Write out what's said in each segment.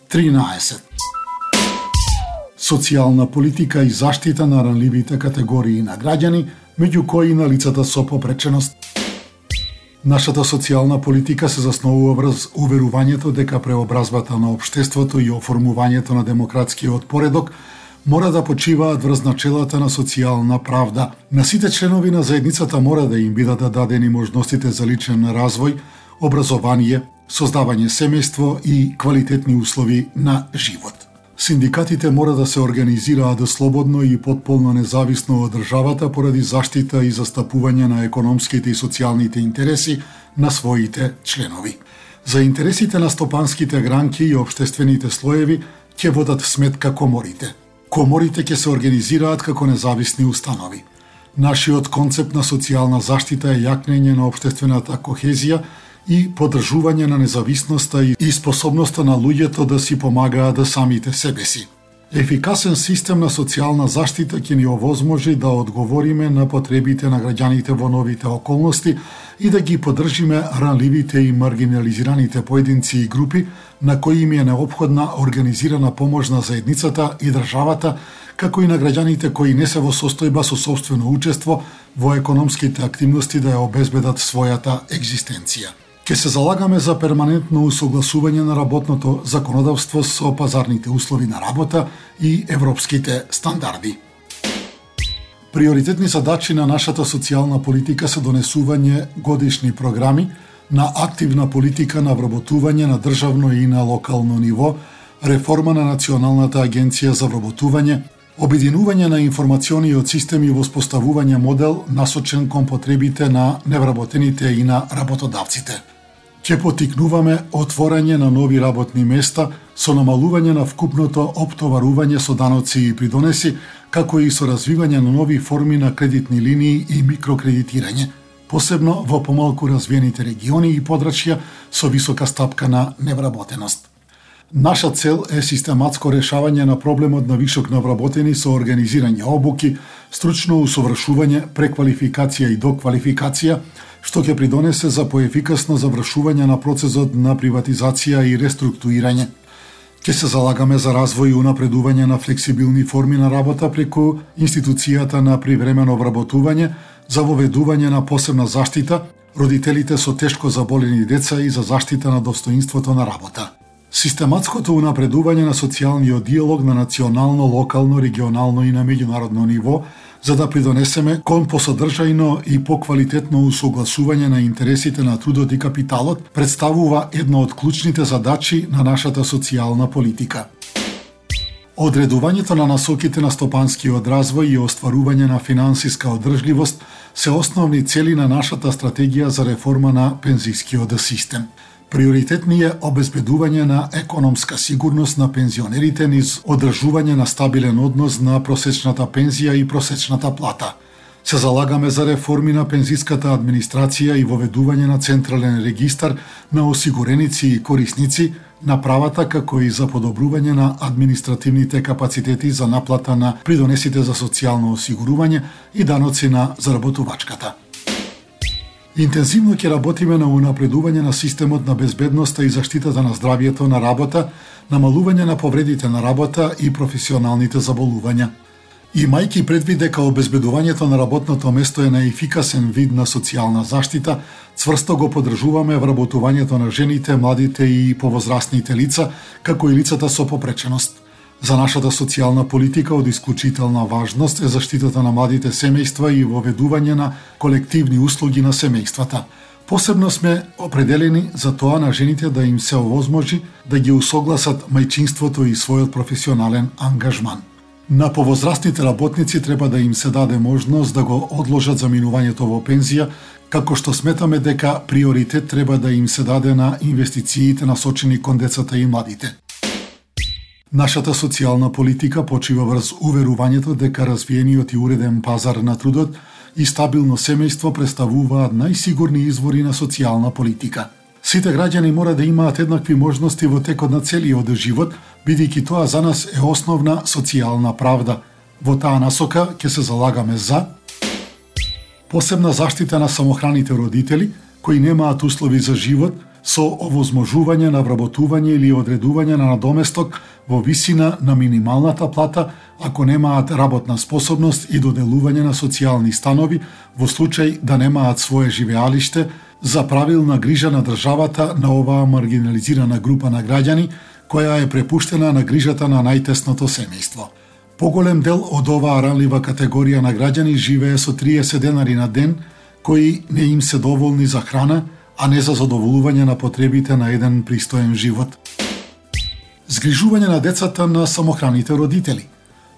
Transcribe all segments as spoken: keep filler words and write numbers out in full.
тринаесет. Социјална политика и заштита на ранливите категории на граѓани, меѓу кои на лицата со попреченост. Нашата социјална политика се засновува врз уверувањето дека преобразбата на општеството и оформувањето на демократскиот поредок мора да почиваат врз начелата на социјална правда. На сите членови на заедницата мора да им бидат дадени можностите за личен развој, образование, создавање семејство и квалитетни услови на живот. Синдикатите мора да се организираат слободно и потполно независно од државата поради заштита и застапување на економските и социјалните интереси на своите членови. За интересите на стопанските гранки и општествените слоеви ќе водат сметка коморите. Коморите ќе се организираат како независни установи. Нашиот концепт на социјална заштита е јакнење на општествената кохезија и поддржување на независноста и способноста на луѓето да си помагаат да самите себе си. Ефикасен систем на социјална заштита ќе ни овозможи да одговориме на потребите на граѓаните во новите околности и да ги поддржиме ранливите и маргинализираните поединци и групи на кои им е неопходна организирана помош на заедницата и државата, како и на граѓаните кои не се во состојба со сопствено учество во економските активности да ја обезбедат својата екзистенција. Ке се залагаме за перманентно усогласување на работното законодавство со пазарните услови на работа и европските стандарди. Приоритетни задачи на нашата социјална политика се донесување годишни програми на активна политика на вработување на државно и на локално ниво, реформа на Националната агенција за вработување, обединување на информациониот систем и воспоставување модел насочен кон потребите на невработените и на работодавците. Ќе потикнуваме отворање на нови работни места со намалување на вкупното оптоварување со даноци и придонеси, како и со развивање на нови форми на кредитни линии и микрокредитирање, посебно во помалку развиените региони и подрачја со висока стапка на невработеност. Наша цел е систематско решавање на проблемот на вишок навработени со организирање обуки, стручно усовршување, преквалификација и доквалификација, што ќе придонесе за поефикасно завршување на процесот на приватизација и реструктурирање. Ќе се залагаме за развој и унапредување на флексибилни форми на работа преку институцијата на привремено вработување, за воведување на посебна заштита, родителите со тешко заболени деца и за заштита на достоинството на работа. Систематското унапредување на социјалниот диалог на национално, локално, регионално и на меѓународно ниво, за да придонесеме кон посодржајно и поквалитетно усогласување на интересите на трудот и капиталот, представува една од клучните задачи на нашата социјална политика. Одредувањето на насоките на стопанскиот развој и остварување на финансиска одржливост се основни цели на нашата стратегија за реформа на пензискиот систем. Приоритетни е обезбедување на економска сигурност на пензионерите низ одржување на стабилен однос на просечната пензија и просечната плата. Се залагаме за реформи на пензиската администрација и воведување на централен регистар на осигуреници и корисници на правата, како и за подобрување на административните капацитети за наплата на придонесите за социјално осигурување и даноци на заработувачката. Интензивно ќе работиме на унапредување на системот на безбедноста и заштитата на здравјето на работа, намалување на повредите на работа и професионалните заболувања. Имајќи предвид дека обезбедувањето на работното место е најефикасен вид на социјална заштита, цврсто го поддржуваме вработувањето на жените, младите и повозрастните лица, како и лицата со попреченост. За нашата социјална политика од исклучителна важност е заштитата на младите семејства и воведување на колективни услуги на семејствата. Посебно сме определени за тоа на жените да им се овозможи да ги усогласат мајчинството и својот професионален ангажман. На повозрастните работници треба да им се даде можност да го одложат заминувањето во пензија, како што сметаме дека приоритет треба да им се даде на инвестициите насочени кон децата и младите. Нашата социјална политика почива врз уверувањето дека развиениот и уреден пазар на трудот и стабилно семејство представуваат најсигурни извори на социјална политика. Сите граѓани мора да имаат еднакви можности во текот на целиот живот, бидејќи тоа за нас е основна социјална правда. Во таа насока ќе се залагаме за посебна заштита на самохраните родители, кои немаат услови за живот, со овозможување на вработување или одредување на надоместок во висина на минималната плата ако немаат работна способност и доделување на социјални станови во случај да немаат свое живеалиште, за правилна грижа на државата на оваа маргинализирана група на граѓани која е препуштена на грижата на најтесното семејство. Поголем дел од оваа ранлива категорија на граѓани живее со триесет денари на ден кои не им се доволни за храна, а не за задоволување на потребите на еден пристоен живот. Згрижување на децата на самохраните родители,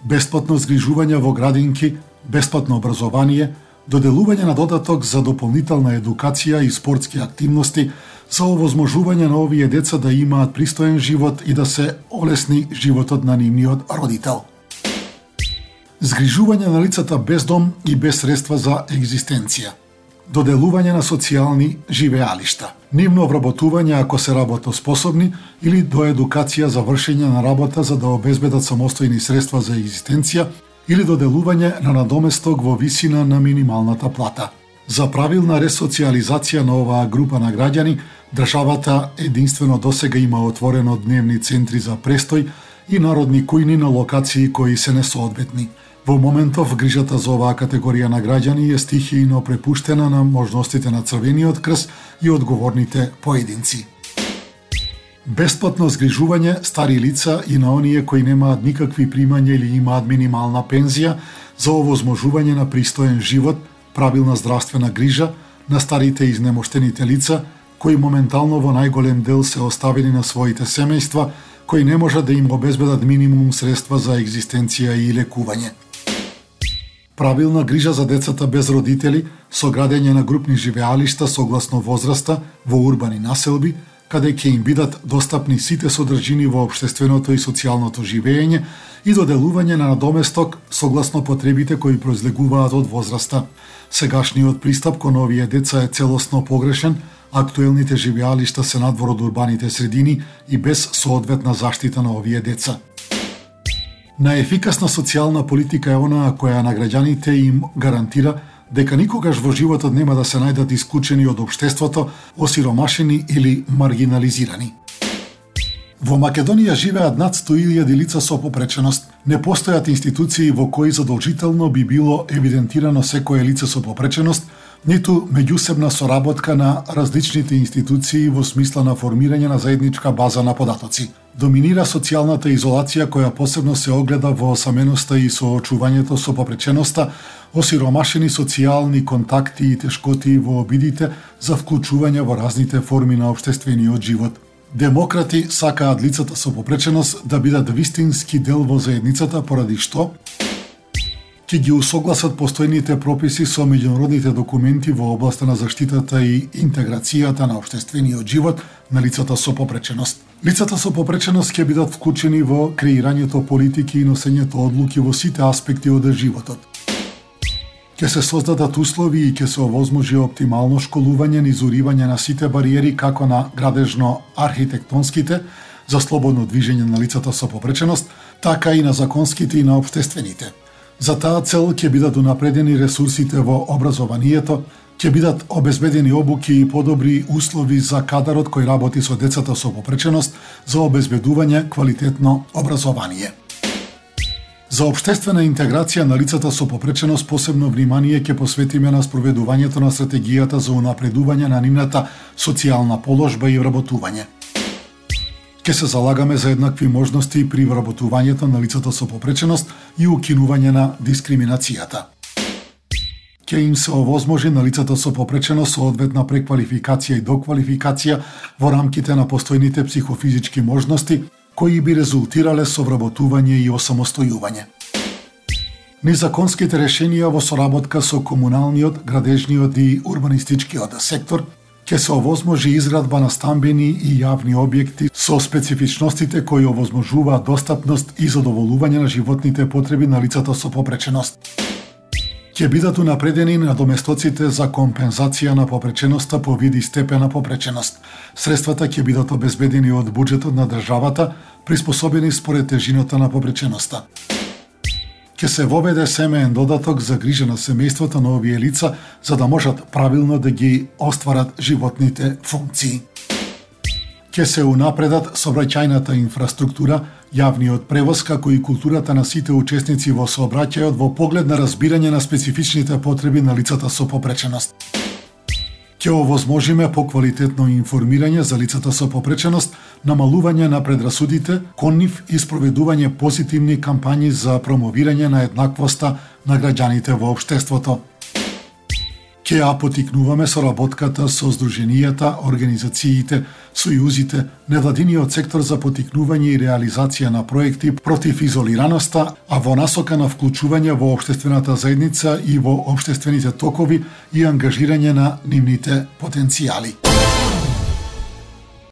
бесплатно згрижување во градинки, бесплатно образование, доделување на додаток за дополнителна едукација и спортски активности за овозможување на овие деца да имаат пристоен живот и да се олесни животот на нивниот родител. Згрижување на лицата без дом и без средства за екзистенција, доделување на социјални живеалишта, нивно вработување ако се работоспособни или до едукација за вршење на работа за да обезбедат самостојни средства за екзистенција или доделување на надоместок во висина на минималната плата. За правилна ресоциализација на оваа група на граѓани, државата единствено досега има отворено дневни центри за престој и народни кујни на локации кои се несоодветни. Во моментов грижата за оваа категорија на граѓани е стихијно препуштена на можностите на Црвениот крст и одговорните поединци. Бесплатно згрижување стари лица и на оние кои немаат никакви примања или имаат минимална пензија за овозможување на пристоен живот, правилна здравствена грижа на старите и изнемоштените лица кои моментално во најголем дел се оставени на своите семејства, кои не можат да им обезбедат минимум средства за екзистенција и лекување. Правилна грижа за децата без родители со градење на групни живеалишта согласно возраста во урбани населби, каде ќе им бидат достапни сите содржини во општественото и социјалното живење и доделување на надоместок согласно потребите кои произлегуваат од возраста. Сегашниот пристап кон овие деца е целосно погрешен, актуелните живеалишта се надвор од урбаните средини и без соодветна заштита на овие деца. Најефикасна социјална политика е онаа која на граѓаните им гарантира дека никогаш во животот нема да се најдат исклучени од општеството, осиромашени или маргинализирани. Во Македонија живеат над сто илјади лица со попреченост. Не постојат институции во кои задолжително би било евидентирано секое лице со попреченост, ниту меѓусебна соработка на различните институции во смисла на формирање на заедничка база на податоци. Доминира социјалната изолација која посебно се огледа во осаменоста и соочувањето со попреченоста, осиромашени социјални контакти и тешкоти во обидите за вклучување во разните форми на општествениот живот. Демократи сакаат лицата со попреченост да бидат вистински дел во заедницата, поради што ќе ги усогласат постојните прописи со меѓународните документи во областа на заштитата и интеграцијата на општествениот живот на лицата со попреченост. Лицата со попреченост ќе бидат вклучени во креирањето политики и носењето одлуки во сите аспекти од животот. Ќе се создадат услови и ќе се овозможи оптимално школување, низуривање на сите бариери како на градежно-архитектонските за слободно движење на лицата со попреченост, така и на законските и на општествените. За таа цел ќе бидат унапредени ресурсите во образованието, ќе бидат обезбедени обуки и подобри услови за кадарот кој работи со децата со попреченост за обезбедување квалитетно образование. За општествена интеграција на лицата со попреченост посебно внимание ќе посветиме на спроведувањето на стратегијата за унапредување на нивната социјална положба и вработување. Ќе се залагаме за еднакви можности при вработувањето на лицата со попреченост и укинување на дискриминацијата. Ќе им се овозможи на лицата со попреченост соодветна преквалификација и доквалификација во рамките на постојните психофизички можности кои би резултирале со вработување и осамостојување. Низаконските решенија во соработка со комуналниот, градежниот и урбанистичкиот сектор ќе се овозможи изградба на стамбени и јавни објекти со специфичностите кои овозможуваат достапност и задоволување на животните потреби на лицата со попреченост. Ќе бидат унапредени надоместоците за компензација на попреченоста по вид и степен на попреченост. Средствата ќе бидат обезбедени од буџетот на државата, приспособени според тежината на попреченоста. Ќе се воведе семеен додаток за грижа на семејството на овие лица, за да можат правилно да ги остварат животните функции. Ќе се унапредат сообраќајната инфраструктура, јавниот превоз, како и културата на сите учесници во сообраќајот во поглед на разбирање на специфичните потреби на лицата со попреченост. Ќе овозможиме поквалитетно информирање за лицата со попреченост, намалување на предрасудите кон нив и спроведување позитивни кампањи за промовирање на еднаквоста на граѓаните во општеството. Ќе ја потикнуваме соработката со здруженијата, организациите, сојузите, невладиниот сектор за потикнување и реализација на проекти против изолираноста, а во насока на вклучување во општествената заедница и во општествените токови и ангажирање на нивните потенцијали.